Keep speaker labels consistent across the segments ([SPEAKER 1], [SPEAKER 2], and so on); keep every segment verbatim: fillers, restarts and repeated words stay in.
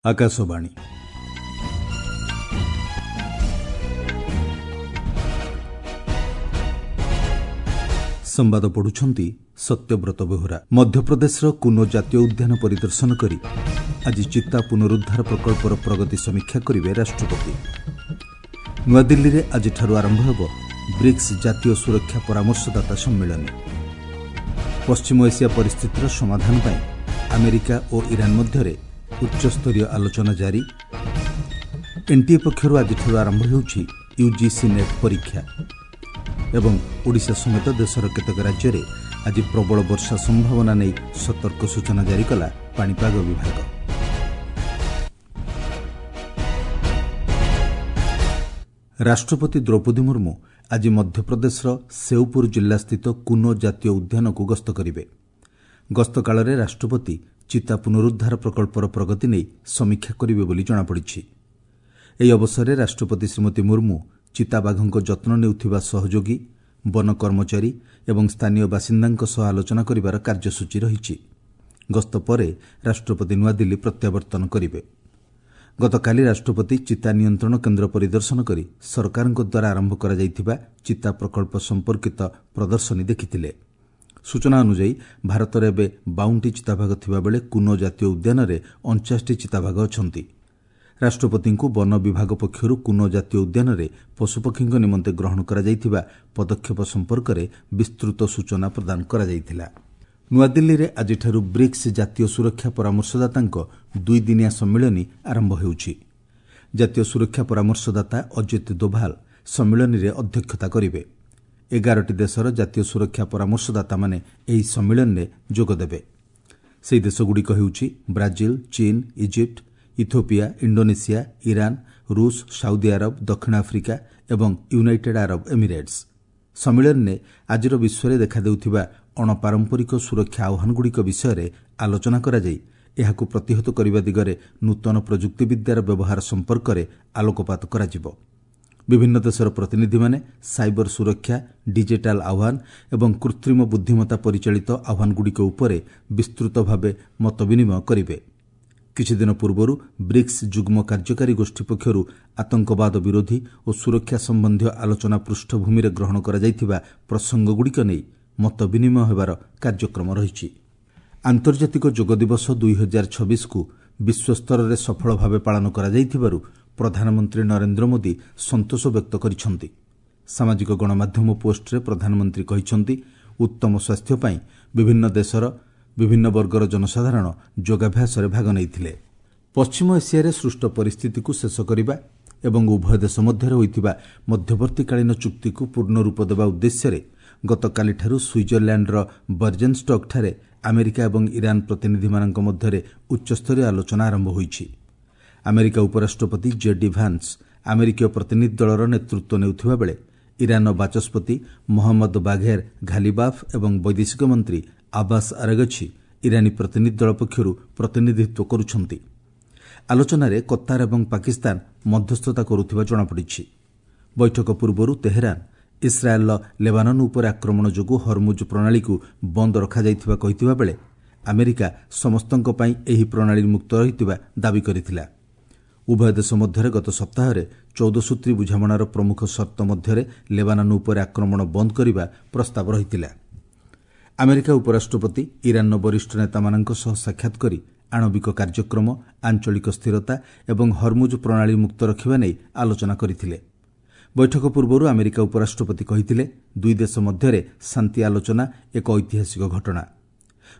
[SPEAKER 1] ଆକାଶବାଣୀ ସମ୍ବାଦ ପଢୁଛନ୍ତି ସତ୍ୟବ୍ରତ ବେହୁରା ମଧ୍ୟପ୍ରଦେଶର କୁନୋ ଜାତୀୟ ଉଦ୍ୟାନ ପରିଦର୍ଶନ କରି ଆଜି ଚିତା ପୁନରୁଦ୍ଧାର ପ୍ରକଳ୍ପର ପ୍ରଗତି ସମୀକ୍ଷା କରିବେ ରାଷ୍ଟ୍ରପତି ନୂଆଦିଲ୍ଲୀରେ ଆଜିଠାରୁ ଆରମ୍ଭ ହେବ ବ୍ରିକ୍ସ ଜାତୀୟ ସୁରକ୍ଷା ପରାମର୍ଶଦାତା ସମ୍ମିଳନୀ ପଶ୍ଚିମ ଏସିଆ ପରିସ୍ଥିତିର ସମାଧାନ ପାଇଁ ଆମେରିକା ଓ ଇରାନ ମଧ୍ୟରେ ଉଚ୍ଚସ୍ତରୀୟ ଆଲୋଚନା ଜାରି ଏନ୍ଟିଏ ପକ୍ଷରୁ ଆଜିଠାରୁ ଆରମ୍ଭ ହେଉଛି ୟୁଜିସି ନେଟ୍ ପରୀକ୍ଷା ଏବଂ ଓଡ଼ିଶା ସମେତ ଦେଶର କେତେକ ରାଜ୍ୟରେ ଆଜି ପ୍ରବଳ ବର୍ଷା ସମ୍ଭାବନା ନେଇ ସତର୍କ ସୂଚନା ଜାରି କଲା ପାଣିପାଗ ବିଭାଗ ରାଷ୍ଟ୍ରପତି ଦ୍ରୌପଦୀ ମୁର୍ମୁ ଆଜି ମଧ୍ୟପ୍ରଦେଶର ସେଉପୁର ଜିଲ୍ଲାସ୍ଥିତ କୁନୋ ଜାତୀୟ ଉଦ୍ୟାନକୁ ଗସ୍ତ କରିବେ ଗସ୍ତ କାଳରେ ରାଷ୍ଟ୍ରପତି ଚିତା ପୁନରୁଦ୍ଧାର ପ୍ରକଳ୍ପର ପ୍ରଗତି ନେଇ ସମୀକ୍ଷା କରିବେ ବୋଲି ଜଣାପଡ଼ିଛି ଏହି ଅବସରରେ ରାଷ୍ଟ୍ରପତି ଶ୍ରୀମତୀ ମୁର୍ମୁ ଚିତାବାଘଙ୍କ ଯତ୍ନ ନେଉଥିବା ସହଯୋଗୀ ବନ କର୍ମଚାରୀ ଏବଂ ସ୍ଥାନୀୟ ବାସିନ୍ଦାଙ୍କ ସହ ଆଲୋଚନା କରିବାର କାର୍ଯ୍ୟସୂଚୀ ରହିଛି ଗସ୍ତ ପରେ ରାଷ୍ଟ୍ରପତି ନୂଆଦିଲ୍ଲୀ ପ୍ରତ୍ୟାବର୍ତ୍ତନ କରିବେ ଗତକାଲି ରାଷ୍ଟ୍ରପତି ଚିତା ନିୟନ୍ତ୍ରଣ କେନ୍ଦ୍ର ପରିଦର୍ଶନ କରି ସରକାରଙ୍କ ଦ୍ୱାରା ଆରମ୍ଭ କରାଯାଇଥିବା ଚିତା ପ୍ରକଳ୍ପ ସମ୍ପର୍କିତ ପ୍ରଦର୍ଶନୀ ଦେଖିଥିଲେ ସୂଚନା ଅନୁଯାୟୀ ଭାରତରେ ଏବେ ବାଉନଟି ଚିତାବାଘ ଥିବାବେଳେ କୁନୋ ଜାତୀୟ ଉଦ୍ୟାନରେ ଅଣଚାଶଟି ଚିତାବାଘ ଅଛନ୍ତି ରାଷ୍ଟ୍ରପତିଙ୍କୁ ବନ ବିଭାଗ ପକ୍ଷରୁ କୁନୋ ଜାତୀୟ ଉଦ୍ୟାନରେ ପଶୁପକ୍ଷୀଙ୍କ ନିମନ୍ତେ ଗ୍ରହଣ କରାଯାଇଥିବା ପଦକ୍ଷେପ ସମ୍ପର୍କରେ ବିସ୍ତୃତ ସୂଚନା ପ୍ରଦାନ କରାଯାଇଥିଲା ନୂଆଦିଲ୍ଲୀରେ ଆଜିଠାରୁ ବ୍ରିକ୍ସ ଜାତୀୟ ସୁରକ୍ଷା ପରାମର୍ଶଦାତାଙ୍କ ଦୁଇଦିନିଆ ସମ୍ମିଳନୀ ଆରମ୍ଭ ହେଉଛି ଜାତୀୟ ସୁରକ୍ଷା ପରାମର୍ଶଦାତା ଅଜିତ ଦୋଭାଲ ସମ୍ମିଳନୀରେ ଅଧ୍ୟକ୍ଷତା କରିବେ ଏଗାରଟି ଦେଶର ଜାତୀୟ ସୁରକ୍ଷା ପରାମର୍ଶଦାତାମାନେ ଏହି ସମ୍ମିଳନୀରେ ଯୋଗଦେବେ ସେହି ଦେଶଗୁଡ଼ିକ ହେଉଛି ବ୍ରାଜିଲ ଚୀନ ଇଜିପ୍ଟ ଇଥୋପିଆ ଇଣ୍ଡୋନେସିଆ ଇରାନ ରୁଷ ସାଉଦି ଆରବ ଦକ୍ଷିଣ ଆଫ୍ରିକା ଏବଂ ୟୁନାଇଟେଡ୍ ଆରବ ଏମିରେଟ୍ସ ସମ୍ମିଳନୀରେ ଆଜିର ବିଶ୍ୱରେ ଦେଖାଦେଉଥିବା ଅଣପାରମ୍ପରିକ ସୁରକ୍ଷା ଆହ୍ୱାନଗୁଡ଼ିକ ବିଷୟରେ ଆଲୋଚନା କରାଯାଇ ଏହାକୁ ପ୍ରତିହତ କରିବା ଦିଗରେ ନୂତନ ପ୍ରଯୁକ୍ତିବିଦ୍ୟାର ବ୍ୟବହାର ସମ୍ପର୍କରେ ଆଲୋକପାତ କରାଯିବ ବିଭିନ୍ନ ଦେଶର ପ୍ରତିନିଧିମାନେ ସାଇବର ସୁରକ୍ଷା ଡିଜିଟାଲ ଆହ୍ୱାନ ଏବଂ କୃତ୍ରିମ ବୁଦ୍ଧିମତ୍ତା ପରିଚାଳିତ ଆହ୍ୱାନଗୁଡ଼ିକ ଉପରେ ବିସ୍ତୃତ ଭାବେ ମତବିନିମୟ କରିବେ କିଛିଦିନ ପୂର୍ବରୁ ବ୍ରିକ୍ସ ଯୁଗ୍ମ କାର୍ଯ୍ୟକାରୀ ଗୋଷ୍ଠୀ ପକ୍ଷରୁ ଆତଙ୍କବାଦ ବିରୋଧୀ ଓ ସୁରକ୍ଷା ସମ୍ବନ୍ଧୀୟ ଆଲୋଚନା ପୃଷ୍ଠଭୂମିରେ ଗ୍ରହଣ କରାଯାଇଥିବା ପ୍ରସଙ୍ଗଗୁଡ଼ିକ ନେଇ ମତବିନିମୟ ହେବାର କାର୍ଯ୍ୟକ୍ରମ ରହିଛି ଆନ୍ତର୍ଜାତିକ ଯୋଗ ଦିବସ ଦୁଇ ହଜାର ଛବିଶକୁ ବିଶ୍ୱସ୍ତରରେ ସଫଳ ଭାବେ ପାଳନ କରାଯାଇଥିବାରୁ ପ୍ରଧାନମନ୍ତ୍ରୀ ନରେନ୍ଦ୍ର ମୋଦି ସନ୍ତୋଷ ବ୍ୟକ୍ତ କରିଛନ୍ତି ସାମାଜିକ ଗଣମାଧ୍ୟମ ପୋଷ୍ଟରେ ପ୍ରଧାନମନ୍ତ୍ରୀ କହିଛନ୍ତି ଉତ୍ତମ ସ୍ୱାସ୍ଥ୍ୟ ପାଇଁ ବିଭିନ୍ନ ଦେଶର ବିଭିନ୍ନ ବର୍ଗର ଜନସାଧାରଣ ଯୋଗାଭ୍ୟାସରେ ଭାଗ ନେଇଥିଲେ ପଶ୍ଚିମ ଏସିଆରେ ସୃଷ୍ଟ ପରିସ୍ଥିତିକୁ ଶେଷ କରିବା ଏବଂ ଉଭୟ ଦେଶ ମଧ୍ୟରେ ହୋଇଥିବା ମଧ୍ୟବର୍ତ୍ତୀକାଳୀନ ଚୁକ୍ତିକୁ ପୂର୍ଣ୍ଣ ରୂପ ଦେବା ଉଦ୍ଦେଶ୍ୟରେ ଗତକାଲିଠାରୁ ସୁଇଜରଲ୍ୟାଣ୍ଡର ବର୍ଜେନଷ୍ଟକ୍ଠାରେ ଆମେରିକା ଏବଂ ଇରାନ ପ୍ରତିନିଧିମାନଙ୍କ ମଧ୍ୟରେ ଉଚ୍ଚସ୍ତରୀୟ ଆଲୋଚନା ଆରମ୍ଭ ହୋଇଛି ଆମେରିକା ଉପରାଷ୍ଟ୍ରପତି ଜେଡି ଭାନ୍ସ ଆମେରିକୀୟ ପ୍ରତିନିଧି ଦଳର ନେତୃତ୍ୱ ନେଉଥିବାବେଳେ ଇରାନର ବାଚସ୍ପତି ମହମ୍ମଦ ବାଘେର ଘାଲିବାଫ୍ ଏବଂ ବୈଦେଶିକ ମନ୍ତ୍ରୀ ଆବାସ ଆରଗଛି ଇରାନୀ ପ୍ରତିନିଧି ଦଳ ପକ୍ଷରୁ ପ୍ରତିନିଧିତ୍ୱ କରୁଛନ୍ତି ଆଲୋଚନାରେ କତାର ଏବଂ ପାକିସ୍ତାନ ମଧ୍ୟସ୍ଥତା କରୁଥିବା ଜଣାପଡ଼ିଛି ବୈଠକ ପୂର୍ବରୁ ତେହେରାନ ଇସ୍ରାଏଲ୍ର ଲେବାନନ ଉପରେ ଆକ୍ରମଣ ଯୋଗୁଁ ହରମୁଜ ପ୍ରଣାଳୀକୁ ବନ୍ଦ ରଖାଯାଇଥିବା କହିଥିବା ବେଳେ ଆମେରିକା ସମସ୍ତଙ୍କ ପାଇଁ ଏହି ପ୍ରଣାଳୀ ମୁକ୍ତ ରହିଥିବା ଦାବି କରିଥିଲା ଉଭୟ ଦେଶ ମଧ୍ୟରେ ଗତ ସପ୍ତାହରେ ଚଉଦ ସୂତ୍ରୀ ବୁଝାମଣାର ପ୍ରମୁଖ ସର୍ତ୍ତ ମଧ୍ୟରେ ଲେବାନନ ଉପରେ ଆକ୍ରମଣ ବନ୍ଦ କରିବା ପ୍ରସ୍ତାବ ରହିଥିଲା ଆମେରିକା ଉପରାଷ୍ଟ୍ରପତି ଇରାନର ବରିଷ୍ଠ ନେତାମାନଙ୍କ ସହ ସାକ୍ଷାତ କରି ଆଣବିକ କାର୍ଯ୍ୟକ୍ରମ ଆଞ୍ଚଳିକ ସ୍ଥିରତା ଏବଂ ହରମୁଜ ପ୍ରଣାଳୀ ମୁକ୍ତ ରଖିବା ନେଇ ଆଲୋଚନା କରିଥିଲେ ବୈଠକ ପୂର୍ବରୁ ଆମେରିକା ଉପରାଷ୍ଟ୍ରପତି କହିଥିଲେ ଦୁଇ ଦେଶ ମଧ୍ୟରେ ଶାନ୍ତି ଆଲୋଚନା ଏକ ଐତିହାସିକ ଘଟଣା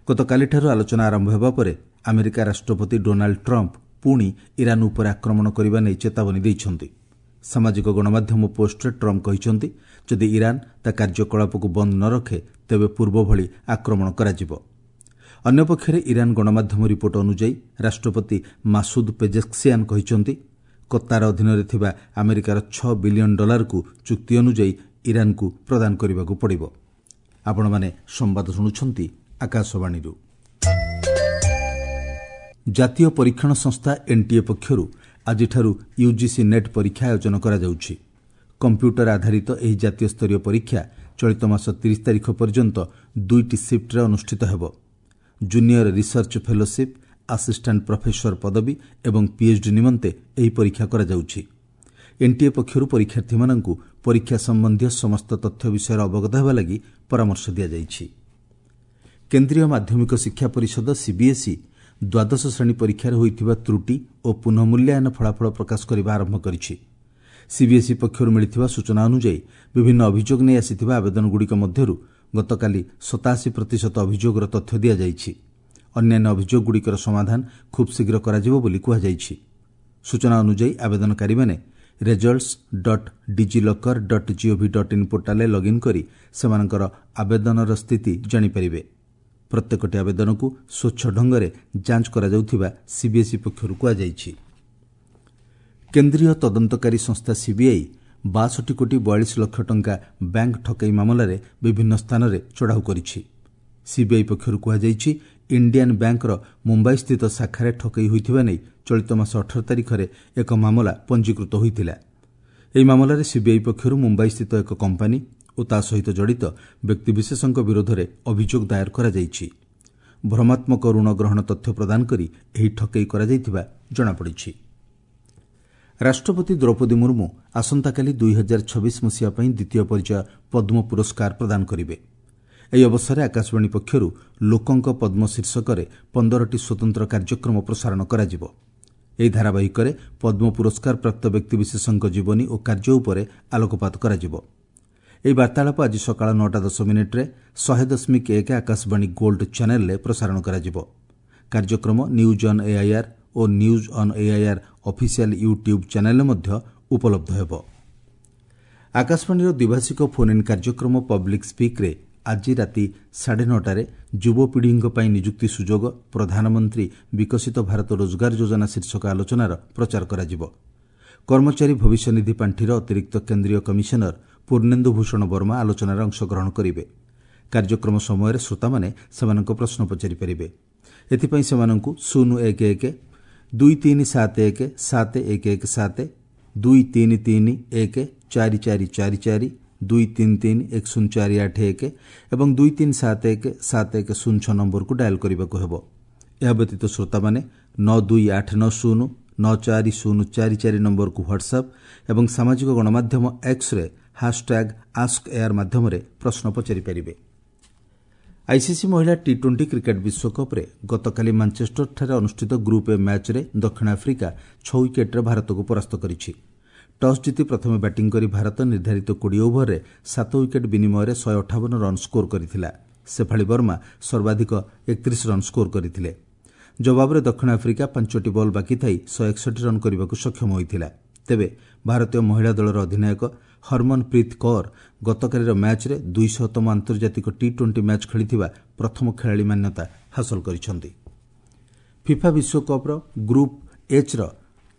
[SPEAKER 1] ଗତକାଲିଠାରୁ ଆଲୋଚନା ଆରମ୍ଭ ହେବା ପରେ ଆମେରିକା ରାଷ୍ଟ୍ରପତି ଡୋନାଲ୍ଡ ଟ୍ରମ୍ପ ପୁଣି ଇରାନ ଉପରେ ଆକ୍ରମଣ କରିବା ନେଇ ଚେତାବନୀ ଦେଇଛନ୍ତି ସାମାଜିକ ଗଣମାଧ୍ୟମ ପୋଷ୍ଟରେ ଟ୍ରମ୍ପ କହିଛନ୍ତି ଯଦି ଇରାନ ତା କାର୍ଯ୍ୟକଳାପକୁ ବନ୍ଦ ନ ରଖେ ତେବେ ପୂର୍ବଭଳି ଆକ୍ରମଣ କରାଯିବ ଅନ୍ୟପକ୍ଷରେ ଇରାନ ଗଣମାଧ୍ୟମ ରିପୋର୍ଟ ଅନୁଯାୟୀ ରାଷ୍ଟ୍ରପତି ମାସୁଦ ପେଜେସ୍କିଆନ୍ କହିଛନ୍ତି କତାର ଅଧୀନରେ ଥିବା ଆମେରିକାର ଛଅ ବିଲିୟନ ଡଲାରକୁ ଚୁକ୍ତି ଅନୁଯାୟୀ ଇରାନକୁ ପ୍ରଦାନ କରିବାକୁ ପଡ଼ିବ ଆପଣମାନେ ସମ୍ବାଦ ଶୁଣୁଛନ୍ତି ଆକାଶବାଣୀରୁ ଜାତୀୟ ପରୀକ୍ଷଣ ସଂସ୍ଥା ଏନ୍ଟିଏ ପକ୍ଷରୁ ଆଜିଠାରୁ ୟୁଜିସି ନେଟ୍ ପରୀକ୍ଷା ଆୟୋଜନ କରାଯାଉଛି କମ୍ପ୍ୟୁଟର ଆଧାରିତ ଏହି ଜାତୀୟ ସ୍ତରୀୟ ପରୀକ୍ଷା ଚଳିତ ମାସ ତିରିଶ ତାରିଖ ପର୍ଯ୍ୟନ୍ତ ଦୁଇଟି ସିଫ୍ଟରେ ଅନୁଷ୍ଠିତ ହେବ junior research fellowship assistant professor ପଦବୀ ଏବଂ ପିଏଚ୍ଡି ନିମନ୍ତେ ଏହି ପରୀକ୍ଷା କରାଯାଉଛି। ଏନ୍ଟିଏ ପକ୍ଷରୁ ପରୀକ୍ଷାର୍ଥୀମାନଙ୍କୁ ପରୀକ୍ଷା ସମ୍ବନ୍ଧୀୟ ସମସ୍ତ ତଥ୍ୟ ବିଷୟରେ ଅବଗତ ହେବା ଲାଗି ପରାମର୍ଶ ଦିଆଯାଇଛି। କେନ୍ଦ୍ରୀୟ ମାଧ୍ୟମିକ ଶିକ୍ଷା ପରିଷଦ ସିବିଏସ୍ଇ ଦ୍ୱାଦଶ ଶ୍ରେଣୀ ପରୀକ୍ଷାରେ ହୋଇଥିବା ତ୍ରୁଟି ଓ ପୁନଃମୂଲ୍ୟାୟନ ଫଳାଫଳ ପ୍ରକାଶ କରିବା ଆରମ୍ଭ କରିଛି। ସିବିଏସ୍ଇ ପକ୍ଷରୁ ମିଳିଥିବା ସୂଚନା ଅନୁଯାୟୀ ବିଭିନ୍ନ ଅଭିଯୋଗ ନେଇ ଆସିଥିବା ଆବେଦନଗୁଡ଼ିକ ମଧ୍ୟରୁ ଗତକାଲି ସତାଅଶୀ ପ୍ରତିଶତ ଅଭିଯୋଗର ତଥ୍ୟ ଦିଆଯାଇଛି। ଅନ୍ୟାନ୍ୟ ଅଭିଯୋଗଗୁଡ଼ିକର ସମାଧାନ ଖୁବ୍ ଶୀଘ୍ର କରାଯିବ ବୋଲି କୁହାଯାଇଛି। ସୂଚନା ଅନୁଯାୟୀ ଆବେଦନକାରୀମାନେ results dot DigiLocker dot gov dot in ପୋର୍ଟାଲରେ ଲଗ୍ଇନ୍ କରି ସେମାନଙ୍କର ଆବେଦନର ସ୍ଥିତି ଜାଣିପାରିବେ। ପ୍ରତ୍ୟେକଟି ଆବେଦନକୁ ସ୍ୱଚ୍ଛ ଢଙ୍ଗରେ ଯାଞ୍ଚ କରାଯାଉଥିବା ସିବିଏସ୍ଇ ପକ୍ଷରୁ କୁହାଯାଇଛି। କେନ୍ଦ୍ରୀୟ ତଦନ୍ତକାରୀ ସଂସ୍ଥା ସିବିଆଇ ବାଷଠି କୋଟି ବୟାଳିଶ ଲକ୍ଷ ଟଙ୍କା ବ୍ୟାଙ୍କ ଠକେଇ ମାମଲାରେ ବିଭିନ୍ନ ସ୍ଥାନରେ ଚଢ଼ାଉ କରିଛି। ସିବିଆଇ ପକ୍ଷରୁ କୁହାଯାଇଛି, ଇଣ୍ଡିଆନ୍ ବ୍ୟାଙ୍କର ମୁମ୍ବାଇସ୍ଥିତ ଶାଖାରେ ଠକେଇ ହୋଇଥିବା ନେଇ ଚଳିତ ମାସ ଅଠର ତାରିଖରେ ଏକ ମାମଲା ପଞ୍ଜୀକୃତ ହୋଇଥିଲା। ଏହି ମାମଲାରେ ସିବିଆଇ ପକ୍ଷରୁ ମୁମ୍ବାଇସ୍ଥିତ ଏକ କମ୍ପାନୀ ଓ ତା ସହିତ ଜଡ଼ିତ ବ୍ୟକ୍ତିବିଶେଷଙ୍କ ବିରୋଧରେ ଅଭିଯୋଗ ଦାୟର କରାଯାଇଛି। ଭ୍ରମାତ୍ମକ ଋଣ ଗ୍ରହଣ ତଥ୍ୟ ପ୍ରଦାନ କରି ଏହି ଠକେଇ କରାଯାଇଥିବା ଜଣାପଡ଼ିଛି। ରାଷ୍ଟ୍ରପତି ଦ୍ରୌପଦୀ ମୁର୍ମୁ ଆସନ୍ତାକାଲି ଦୁଇ ହଜାର ଛବିଶ ମସିହା ପାଇଁ ଦ୍ୱିତୀୟ ପର୍ଯ୍ୟାୟ ପଦ୍ମ ପୁରସ୍କାର ପ୍ରଦାନ କରିବେ। ଏହି ଅବସରରେ ଆକାଶବାଣୀ ପକ୍ଷରୁ ଲୋକଙ୍କ ପଦ୍ମ ଶୀର୍ଷକରେ ପନ୍ଦରଟି ସ୍ୱତନ୍ତ୍ର କାର୍ଯ୍ୟକ୍ରମ ପ୍ରସାରଣ କରାଯିବ। ଏହି ଧାରାବାହିକରେ ପଦ୍ମ ପୁରସ୍କାର ପ୍ରାପ୍ତ ବ୍ୟକ୍ତିବିଶେଷଙ୍କ ଜୀବନୀ ଓ କାର୍ଯ୍ୟ ଉପରେ ଆଲୋକପାତ କରାଯିବ। ଏହି ବାର୍ତ୍ତାଳାପ ଆଜି ସକାଳ ନଅଟା ଦଶ ମିନିଟ୍ରେ ଶହେ ଦଶମିକ ଏକ ଆକାଶବାଣୀ ଗୋଲ୍ଡ ଚ୍ୟାନେଲରେ ପ୍ରସାରଣ କରାଯିବ। କାର୍ଯ୍ୟକ୍ରମ news on AIR O news on AIR official YouTube ଚ୍ୟାନେଲରେ ମଧ୍ୟ ଉପଲବ୍ଧ ହେବ। ଆକାଶବାଣୀର ଦ୍ୱିଭାଷିକ ଫୋନ୍ ଇନ୍ କାର୍ଯ୍ୟକ୍ରମ ପବ୍ଲିକ୍ ସ୍ପିକ୍ରେ ଆଜି ରାତି ସାଢ଼େ ନଅଟାରେ ଯୁବପିଢ଼ିଙ୍କ ପାଇଁ ନିଯୁକ୍ତି ସୁଯୋଗ, ପ୍ରଧାନମନ୍ତ୍ରୀ ବିକଶିତ ଭାରତ ରୋଜଗାର ଯୋଜନା ଶୀର୍ଷକ ଆଲୋଚନାର ପ୍ରଚାର କରାଯିବ। କର୍ମଚାରୀ ଭବିଷ୍ୟନିଧି ପାଣ୍ଠିର ଅତିରିକ୍ତ କେନ୍ଦ୍ରୀୟ କମିଶନର ପୂର୍ଣ୍ଣେନ୍ଦୁ ଭୂଷଣ ବର୍ମା ଆଲୋଚନାରେ ଅଂଶଗ୍ରହଣ କରିବେ। କାର୍ଯ୍ୟକ୍ରମ ସମୟରେ ଶ୍ରୋତାମାନେ ସେମାନଙ୍କ ପ୍ରଶ୍ନ ପଚାରିପାରିବେ। ଏଥିପାଇଁ ସେମାନଙ୍କୁ ଶୂନ ଏକ ଏକ ଦୁଇ ତିନି ସାତ ଏକ ସାତ ଏକ ଏକ ସାତ, ଦୁଇ ତିନି ତିନି ଏକ ଚାରି ଚାରି ଚାରି ଚାରି, ଦୁଇ ତିନି ତିନି ଏକ ଶୂନ ଚାରି ଆଠ ଏକ ଏବଂ ଦୁଇ ତିନି ସାତ ଏକ ସାତ ଏକ ଶୂନ ଛଅ ନମ୍ବରକୁ ଡାଏଲ୍ କରିବାକୁ ହେବ। ଏହା ବ୍ୟତୀତ ଶ୍ରୋତାମାନେ ନଅ ଦୁଇ ଆଠ ନଅ ଶୂନ ନଅ ଚାରି ଶୂନ ଚାରି ଚାରି ନମ୍ବରକୁ ହ୍ୱାଟ୍ସଆପ୍ ଏବଂ ସାମାଜିକ ଗଣମାଧ୍ୟମ ଏକ୍ସରେ ହ୍ୟାସ୍ଟ୍ୟାଗ୍ ଆସ୍କ ଏୟାର ମାଧ୍ୟମରେ ପ୍ରଶ୍ନ ପଚାରିପାରିବେ। ଆଇସିସି ମହିଳା ଟି ଟ୍ୱେଣ୍ଟି କ୍ରିକେଟ୍ ବିଶ୍ୱକପ୍ରେ ଗତକାଲି ମାଞ୍ଚେଷ୍ଟରଠାରେ ଅନୁଷ୍ଠିତ ଗ୍ରୁପ୍ ଏ ମ୍ୟାଚ୍ରେ ଦକ୍ଷିଣ ଆଫ୍ରିକା ଛଅ ୱିକେଟ୍ରେ ଭାରତକୁ ପରାସ୍ତ କରିଛି। ଟସ୍ ଜିତି ପ୍ରଥମେ ବ୍ୟାଟିଂ କରି ଭାରତ ନିର୍ଦ୍ଧାରିତ କୋଡ଼ିଏ ଓଭରରେ ସାତ ୱିକେଟ୍ ବିନିମୟରେ ଶହେ ଅଠାବନ ରନ୍ ସ୍କୋର କରିଥିଲା। ଶେଫାଳି ବର୍ମା ସର୍ବାଧିକ ଏକତିରିଶ ରନ୍ ସ୍କୋର କରିଥିଲେ। ଜବାବରେ ଦକ୍ଷିଣ ଆଫ୍ରିକା ପାଞ୍ଚଟି ବଲ୍ ବାକି ଥାଇ ଶହେ ଏକଷଠି ରନ୍ କରିବାକୁ ସକ୍ଷମ ହୋଇଥିଲା। ତେବେ ଭାରତୀୟ ମହିଳା ଦଳର ଅଧିନାୟକ ହରମନପ୍ରୀତ କୌର ଗତକାଲିର ମ୍ୟାଚ୍ରେ ଦୁଇଶହତମ ଆନ୍ତର୍ଜାତିକ ଟି ଟ୍ୱେଣ୍ଟି ମ୍ୟାଚ୍ ଖେଳିଥିବା ପ୍ରଥମ ଖେଳାଳି ମାନ୍ୟତା ହାସଲ କରିଛନ୍ତି। ଫିଫା ବିଶ୍ୱକପ୍ର ଗ୍ରୁପ୍ ଏଚ୍ର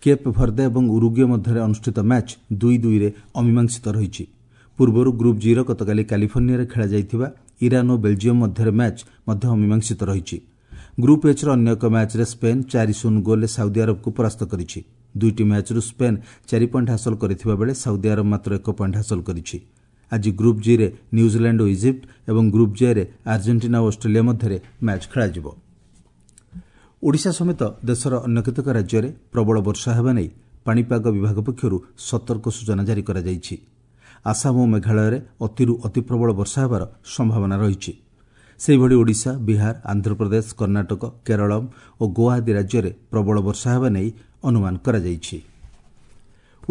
[SPEAKER 1] କେପ୍ ଭର୍ଦେ ଏବଂ ଉରୁଗୁଏ ମଧ୍ୟରେ ଅନୁଷ୍ଠିତ ମ୍ୟାଚ୍ ଦୁଇ ଦୁଇରେ ଅମୀମାଂସିତ ରହିଛି। ପୂର୍ବରୁ ଗ୍ରୁପ୍ ଜିର ଗତକାଲି କାଲିଫର୍ଣ୍ଣିଆରେ ଖେଳାଯାଇଥିବା ଇରାନ୍ ଓ ବେଲ୍ଜିୟମ୍ ମଧ୍ୟରେ ମ୍ୟାଚ୍ ମଧ୍ୟ ଅମୀମାଂସିତ ରହିଛି। ଗ୍ରୁପ୍ ଏଚ୍ର ଅନ୍ୟ ଏକ ମ୍ୟାଚ୍ରେ ସ୍ପେନ୍ ଚାରି ଶୂନ ଗୋଲ୍ରେ ସାଉଦି ଆରବକୁ ପରାସ୍ତ କରିଛି। ଦୁଇଟି ମ୍ୟାଚ୍ରୁ ସ୍ପେନ୍ ଚାରି ପଏଣ୍ଟ ହାସଲ କରିଥିବା ବେଳେ ସାଉଦି ଆରବ ମାତ୍ର ଏକ ପଏଣ୍ଟ ହାସଲ କରିଛି। ଆଜି ଗ୍ରୁପ୍ ଜିରେ ନ୍ୟୁଜିଲାଣ୍ଡ ଓ ଇଜିପ୍ଟ ଏବଂ ଗ୍ରୁପ୍ ଜେରେ ଆର୍ଜେଣ୍ଟିନା ଓ ଅଷ୍ଟ୍ରେଲିଆ ମଧ୍ୟରେ ମ୍ୟାଚ୍ ଖେଳାଯିବ। ଓଡ଼ିଶା ସମେତ ଦେଶର ଅନ୍ୟ କେତେକ ରାଜ୍ୟରେ ପ୍ରବଳ ବର୍ଷା ହେବା ନେଇ ପାଣିପାଗ ବିଭାଗ ପକ୍ଷରୁ ସତର୍କ ସୂଚନା ଜାରି କରାଯାଇଛି। ଆସାମ ଓ ମେଘାଳୟରେ ଅତିରୁ ଅତିପ୍ରବଳ ବର୍ଷା ହେବାର ସମ୍ଭାବନା ରହିଛି। ସେହିଭଳି ଓଡ଼ିଶା, ବିହାର, ଆନ୍ଧ୍ରପ୍ରଦେଶ, କର୍ଣ୍ଣାଟକ, କେରଳ ଓ ଗୋଆ ଆଦି ରାଜ୍ୟରେ ପ୍ରବଳ ବର୍ଷା ହେବା ନେଇ ଅନୁମାନ କରାଯାଇଛି।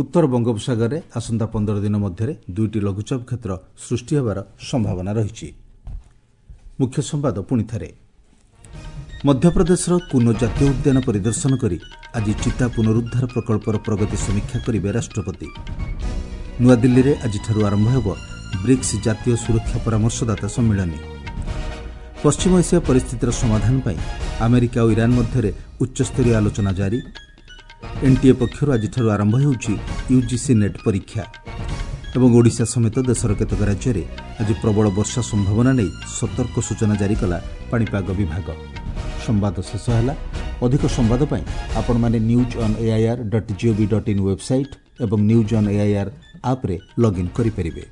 [SPEAKER 1] ଉତ୍ତର ବଙ୍ଗୋପସାଗରରେ ଆସନ୍ତା ପନ୍ଦର ଦିନ ମଧ୍ୟରେ ଦୁଇଟି ଲଘୁଚାପ କ୍ଷେତ୍ର ସୃଷ୍ଟି ହେବାର ସମ୍ଭାବନା ରହିଛି। ମୁଖ୍ୟ ସମ୍ବାଦ ପୁଣିଥରେ। ମଧ୍ୟପ୍ରଦେଶର କୁନୋ ଜାତୀୟ ଉଦ୍ୟାନ ପରିଦର୍ଶନ କରି ଆଜି ଚିତା ପୁନରୁଦ୍ଧାର ପ୍ରକଳ୍ପର ପ୍ରଗତି ସମୀକ୍ଷା କରିବେ ରାଷ୍ଟ୍ରପତି। ନୂଆଦିଲ୍ଲୀରେ ଆଜିଠାରୁ ଆରମ୍ଭ ହେବ ବ୍ରିକ୍ସ ଜାତୀୟ ସୁରକ୍ଷା ପରାମର୍ଶଦାତା ସମ୍ମିଳନୀ। ପଶ୍ଚିମ ଏସିଆ ପରିସ୍ଥିତିର ସମାଧାନ ପାଇଁ ଆମେରିକା ଓ ଇରାନ୍ ମଧ୍ୟରେ ଉଚ୍ଚସ୍ତରୀୟ ଆଲୋଚନା ଜାରି। ଏନ୍ଟିଏ ପକ୍ଷରୁ ଆଜିଠାରୁ ଆରମ୍ଭ ହେଉଛି ୟୁଜିସି ନେଟ୍ ପରୀକ୍ଷା। ଏବଂ ଓଡ଼ିଶା ସମେତ ଦେଶର କେତେକ ରାଜ୍ୟରେ ଆଜି ପ୍ରବଳ ବର୍ଷା ସମ୍ଭାବନା ନେଇ ସତର୍କ ସୂଚନା ଜାରି କଲା ପାଣିପାଗ ବିଭାଗ। ସମ୍ବାଦ ଶେଷ ହେଲା। ଅଧିକ ସମ୍ବାଦ ପାଇଁ ଆପଣମାନେ news on AIR dot gov dot in website ଏବଂ ନ୍ୟୁଜ୍ ଅନ୍ ଏଆଇଆର୍ ଆପ୍ରେ ଲଗ୍ଇନ୍ କରିପାରିବେ।